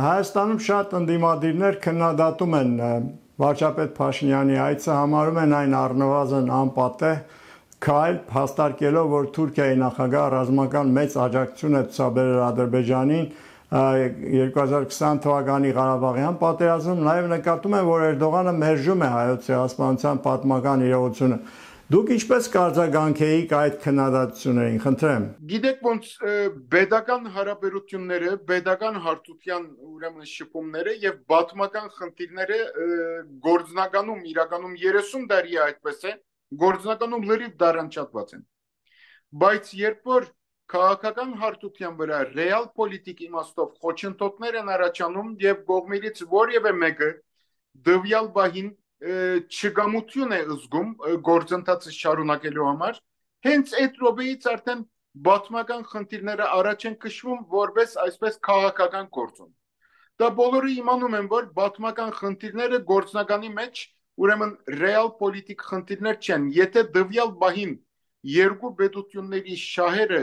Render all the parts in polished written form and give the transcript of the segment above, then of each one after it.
Հայաստանում շատ ընդդիմադիրներ քննադատում են վարչապետ Փաշինյանի այցը, համարում են այն առնվազն անպատեհ քայլ, հաստատելով, որ Թուրքիայի նախագահ ռազմական մեծ աջակցություն է ցուցաբերել Ադրբեջանին 2020 թվականի Ղարաբաղյան պատերազմում, նաև նկատում են, որ Էրդողանը մերժում է հայոց ցեղասպանության պատմական իրողությունը։ Դուք ինչպես կարձագանքեիք այդ քննադատություններին, խնդրեմ։ Գիտեք ոնց pedagogan հարաբերությունները, pedagogan հարթության ուրեմն շփումները եւ պատմական խնդիրները գործնականում իրականում 30 տարի է այդպես է, գործնականում լրիվ դարանչատված են։ Բայց երբ որ քաղաքական հարթության վրա ռեալ պոլիտիկ իմաստով խոչընդոտներ են առաջանում եւ կողմերից որևէ մեկը դվյալ բահին չգամություն է զգում գործընթացը շարունակելու համար, հենց այդ րոպեից արդեն պատմական խնդիրները առաջ են քշվում որպես այսպես քաղաքական գործոն։ Դա բոլորը իմանում են, որ պատմական խնդիրները գործնականի մեջ ուրեմն ռեալ պոլիտիկ խնդիրներ չեն։ Եթե դվյալ բահին երկու պետությունների շահերը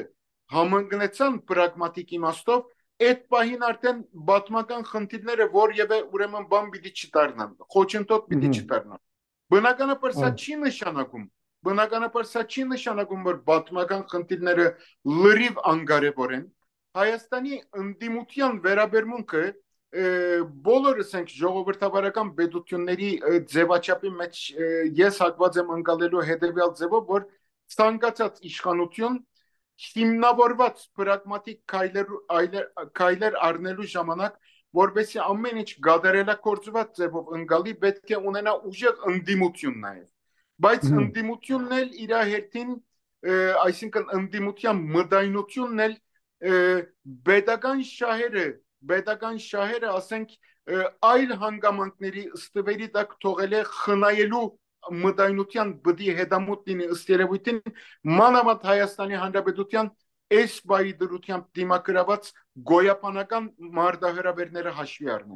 համընկնեցան պրագմատիկ իմաստով, այդ բահին արդեն պատմական խնդիրները որևէ ուրեմն բան պիտի չդառնան, խոչընդոտ պիտի չդառնան։ Բնականաբար սա չի նշանակում, որ պատմական խնդիրները լրիվ անկարևոր են։ Հայաստանի ընդդիմության վերաբերմունքը բոլորս ենք ժողովրդավարական պետությունների ձևաչափի մեջ ես հակված եմ ընկալելու հետևյալ ձևով, որ ցանկացած իշխանություն հիմնավորված պրագմատիկ քայլեր առնելու ժամանակ, որովհետեւ ամեն ինչ գադարելակորձված ձևով ընկալի, պետք է ունենա ուժեղ ընդդիմություն նաև։ Բայց ընդդիմությունն էլ իր հերթին, այսինքն ընդդիմության մտայնությունն էլ pedagogan շահերը, ասենք, այլ հանգամանքների ստվերի տակ թողել է խնայելու մտայնության բդի հետամուտ լինի ըստ երևույթին մանավանդ Հայաստանի Հանրապետության այս բայ դրությամբ դիմակրաված գոյապանական մարտահրավերները հաշվի առնենք։